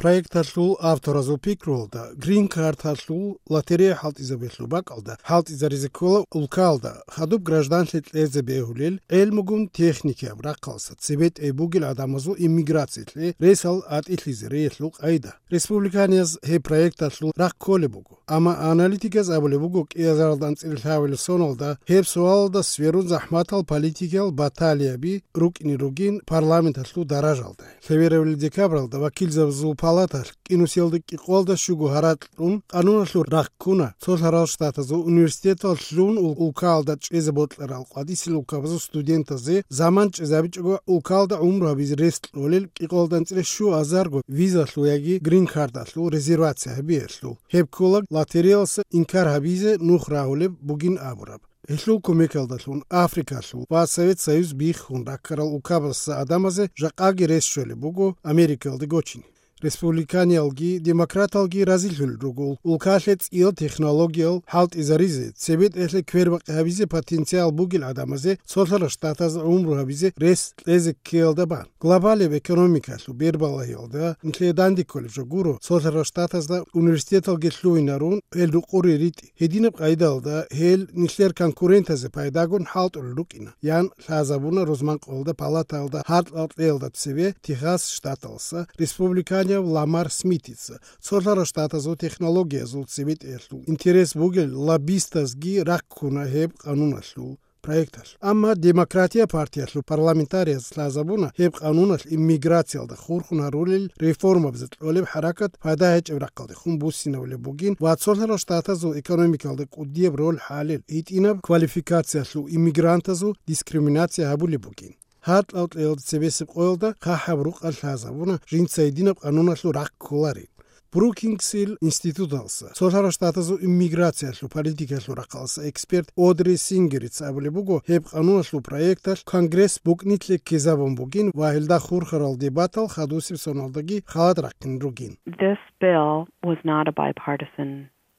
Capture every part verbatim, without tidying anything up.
Проекталъул авторазул пикруялда, грин-карталъул лотерея хӀалтӀизабиялъул бакӀалда хӀалтӀизаризе ккола улкалда хадуб гражданлъи кьезе бегьулел гӀелмугун техникияб рахъалса цебетӀей бугел гӀадамазул иммиграциялъе ресал атӀилъизариялъул къайда. Республиканияз гьеб проекталъул рахъ кколеб буго. Амма аналитиказ абулеб буго, кӀиазаралда анцӀила лъабабилеб соналда гьеб суалалда сверун захӀматал политикиял баталияби рукӀине ругин парламенталъул даражалда. Лъеберабилеб декабралда вакилзабазул палаталъ кӀинусиялда кӀикъоялда щуго гьаракь кьун, къануналъул рахъ ккуна цолъарал штатазул университетал лъун ул-, улкаялда чӀезе бокьарал къватӀисел улкабазул студентазе заман чӀезабичӀого улкаялда гӀумру гьабизе рес кьолел кӀикъоялда анцӀила щуазарго визалъул яги грин-кардалъул резервация гьабиялъул. Гьеб ккола лотереялъа инкар гьабизе нух рагьулеб бугин абураб. Гьелъул кумекалдалъун Африкалъул ва Совет Союз биххун раккарал улкабазул гӀадамазе жакъаги рес щолеб буго Америкалде гочине. Республиканиялги демократалги разилъулел руго улкалъе цӀиял технологиял хӀалтӀизаризе, цебетӀелъе квербакъи гьабизе потенциал бугел гӀадамазе цолъарал штатазда гӀумру гьабизе рес кьезе ккеялда бан. Глобалияб экономикалъул бербалагьиялда нилъее данде кколеб жо гуро, цолъарал штатазда университеталги лъугьинарун, гьел рукъуре ритӀи. Гьединаб къайдалда гьел нилъер конкурентазе пайдагун хӀалтӀулел рукӀина, ян лъазабуна рузманкъоялда палатаялда гьаркьал кьеялда цеве Техас штаталъа республиканияб Ламар Смитица. Цолъарал штатазул технологиязул цебетӀеялъул интерес бугел лоббистазги рахъ ккуна гьеб къануналъул проекталъ. Амма Демократия партиялъул парламентариязда лъазабуна гьеб къануналъ иммиграциялда хурхун гьарулел реформабазда кьолеб хӀаракат пайда гьечӀеб рахъалдехун буссинабулеб бугин ва цолъарал штатазул экономикалда кӀудияб роль хӀалел, гьитӀинаб квалификациялъул иммигрантазул дискриминация гьабулеб бугин. Гьаркьал кьеялда цебесеб къоялда хъахӀаб рукъалъ лъазабуна жинца гьединаб къануналъул рахъ кколарин. Брукингсил институталъа, цолъарал штатазул иммиграциялъул политикалъул рахъалъа эксперт Одри Сингерица абулеб буго, гьеб къануналъул проекталъ Конгресс букӀнилъе ккезабун бугин ва гьелда хурхарал дебатал хадусеб соналдаги халат рахъин ругин. This bill was not a bipartisan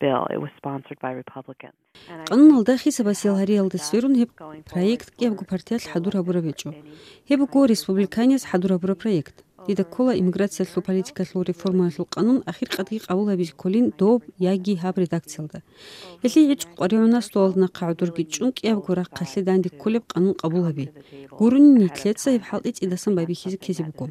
bill. It was sponsored by Republicans. Къануналда хисабасиял гьариялда сверун гьеб проект кӀиябго партиялъ хӀадур гьабураб гьечӀо. Гьеб буго республиканияз хӀадур гьабураб проект. Дида ккола иммиграциялъул политикалъул реформаялъул къанун ахиркъадги къабул гьабизе кколин доб яги гьаб редакциялда. Гьелъие гӀечӀо къваригӀуна столалда нахъа гӀодорги чӀун кӀиябго рахъалъе данде кколеб къанун къабул гьаби. Гурони нилъеца гьеб хӀалтӀи цӀидасан байбихьизе ккезе буго.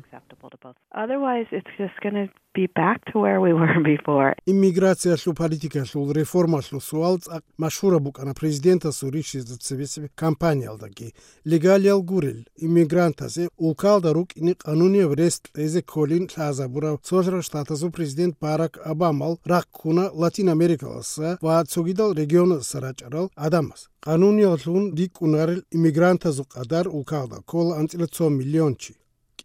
Otherwise, it's just gonna be back to where we were before. Иммиграциялъул политикалъул реформалъул суал цӀакъ машгьураб букӀана президентасул ришизе цебесеб кампаниялдаги. Легалиял гурел иммигрантазе улкалда рукӀине къанунияб рес кьезе кколин лъазабурав цолъарал штатазул президент Барак Обамал рахъ ккуна Латин Америкаласа ва цогидал регионалдаса рачӀарал гӀадамаз. Къанунияллъун рикӀкӀунарел иммигрантазул къадар улкалда ккола анцӀила цо миллион чи.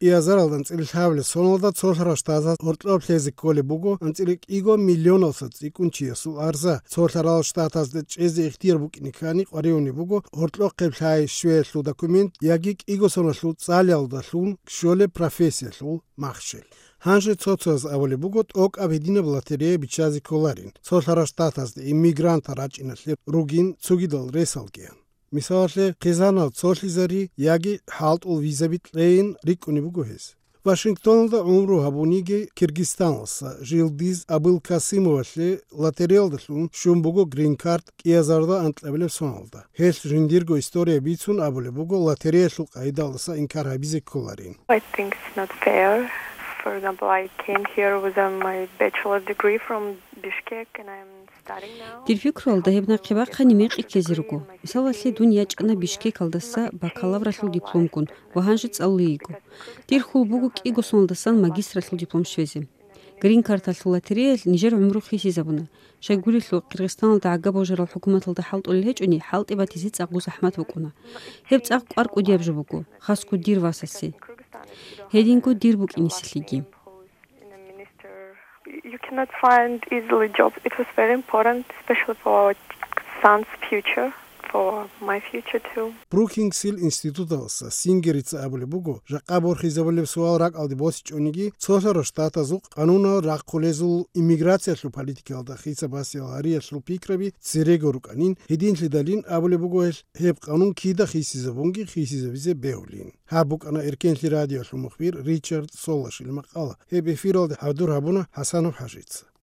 КӀиазаралда анцӀила лъабабилеб соналда цолъарал штатаз гьоркьоб лъезе кколеб буго анцӀила кӀиго миллионалдаса цӀикӀкӀун чиясул арза, цолъарал штатазда чӀезе ихтияр букӀине ккани къваригӀунеб буго гьоркьохъеб лъай щвеялъул документ яги кӀиго соналъул цӀалиялдалъун щолеб профессиялъул махщел. Гьанже цо-цояз абулеб буго тӀокӀаб гьединаб лотерея биччазе кколарин, цолъарал штатазда иммигрантал рачӀиналъе ругин цогидал ресалгиян. Мисалалъе, хъизанал цолъизари яги хӀалтӀул визаби кьейин рикӀкӀунеб буго гьез. Вашингтоналда гӀумру гьабуниги Киргизстаналса Жилдиз Абылкасымовалъе лотереялдалъун щун буго грин-кард кӀиазарда анкьабилеб соналда. Гьелъ жиндирго история бицун абулеб буго лотереялъул къайдалдаса инкар гьабизе кколарин. I think it's not fair. For example, I came here with uh, my bachelor's degree from Bishkek, and I'm studying now. Дир пикруялда гьеб нахъе бахъани мекъи ккезе руго. Мисалалъе, дун ячӀана Бишкекалдаса бакалавралъул дипломгун ва гьанже цӀалулей йиго. Дир хьул буго кӀиго соналдасан магистралъул диплом щвезе. Грин-карталъул лотереялъ нижер гӀумру хисизабуна. Щайгурелъул, Киргизстаналда гӀага божарал хӀукуматалда хӀалтӀулел гьечӀони, хӀалтӀи батизе цӀакъго захӀмат букӀуна. Гьеб цӀакъ кӀвар кӀудияб жо буго, хасго дир васасе. Гьединго дир букӀинесилъиги. You cannot find easily jobs. It was very important, especially for our son's future, for my future too. Брукингсил институталдаса Сингерица абулеб буго, жакъа борхизабулеб суал ракӀалде босичӀониги, цолъарал штатазухъ къанунал рахъулезул иммиграциялъул политикалда хисабасел гьариялъул пикраби церего рукӀанин, гьединлъидалин абулеб буго гьелъ, гьеб къанун кида хисизабунги хисизабизе бегьулин. Гьаб букӀана Эркенлъи радиолъул мухбир Ричард Солашил макъала. Гьеб эфиралде хӀадур гьабуна ХӀасанов ХӀажица.